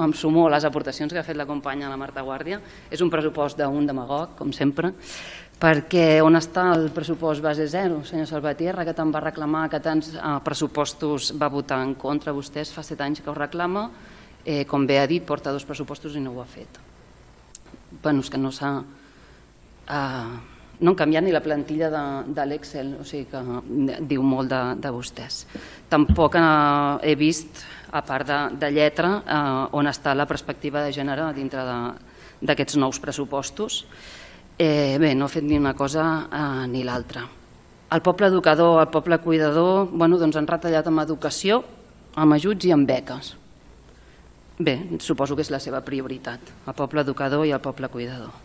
em sumo a les aportacions que ha fet la companya la Marta Guàrdia. És un pressupost d'un demagog, com sempre, perquè on està el pressupost base zero, senyor Salvatierra, que tant va reclamar, que tants pressupostos va votar en contra vostès, fa 7 anys que ho reclama, com bé ha dit, porta 2 pressupostos i no ho ha fet. Bé, és que no s'ha... No han canviat ni la plantilla de l'Excel, o sigui que diu molt de vostès. Tampoc he vist, a part de lletra, on està la perspectiva de gènere dintre d'aquests nous pressupostos. Bé, no ha fet ni una cosa ni l'altra. El poble educador, el poble cuidador, han retallat amb educació, amb ajuts i amb beques. Bé, suposo que és la seva prioritat, el poble educador i el poble cuidador.